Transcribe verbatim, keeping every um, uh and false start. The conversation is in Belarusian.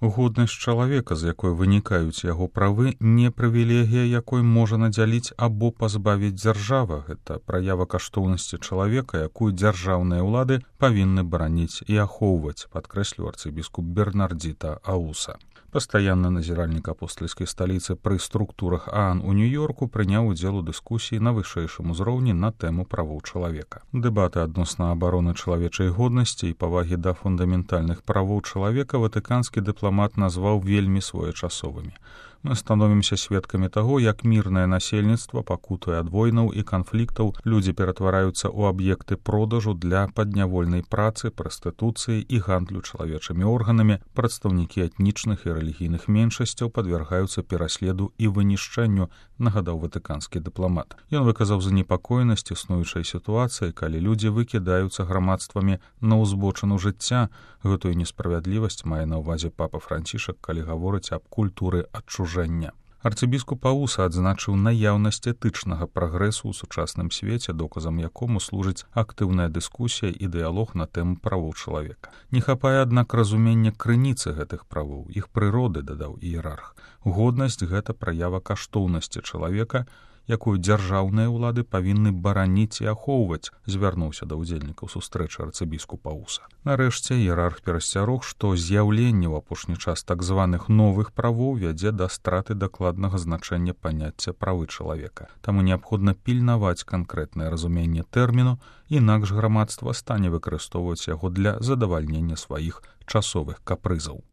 Годнасць чалавека, з якой вынікаюць яго правы, не прывілегія, якой можа надзяліць або пазбавіць дзяржава. Гэта праява каштоўнасці чалавека, якую дзяржаўныя ўлады павінны бараніць і ахоўваць, падкрэсліў арцыбіскуп Бернардзіта Ауса. Пастаянны назіральнік апостальскай сталіцы пры структурах ААН у Нью-Йорку прыняў удзел у дыскусіі на вышэйшым узроўні на тэму правоў чалавека. Дэбаты адносна абароны чалавечай годнасці і павагі да фундаментальных правоў чалавека ватыканскі дыпламат назваў вельмі своечасовымі. Мы становімся сведкамі таго, як мірнае насельніцтва пакутуе ад войнаў і канфліктаў, людзі ператвараюцца ў аб'екты продажу для паднявольнай працы, прастытуцыі і гандлю чалавечымі органамі, прадстаўнікі этнічных і рэлігійных меншасцяў падвяргаюцца пераследу і вынішчэнню, нагадаў ватыканскі дыпламат. Ён выказаў занепакоенасць існуючай сітуацыі, калі людзі выкідаюцца грамадствамі на ўзбочыну жыцця. Гэтую несправядлівасць мае на ўвазе папа Францішак, калі гаворыць аб культуры адчужэння. Арцыбіскуп Ауса адзначыў наяўнасць этычнага прагрэсу ў сучасным свеце, доказам якому служыць актыўная дыскусія і дыялог на тэму правоў чалавека. Не хапае, аднак, разумення крыніцы гэтых правоў, іх прыроды, дадаў іерарх. Годнасць — гэта праява каштоўнасці чалавека, якую дзяржаўныя ўлады павінны бараніць і ахоўваць, звярнуўся да ўдзельнікаў сустрэчы арцыбіскуп Ауса. Нарэшце іерарх перасцярог, што з'яўленне ў апошні час так званых новых правоў вядзе да страты дакладнага значэння паняцця правы чалавека. Таму неабходна пільнаваць канкрэтнае разуменне тэрміну, інакш грамадства стане выкарыстоўваць яго для задавальнення сваіх часовых капрызаў.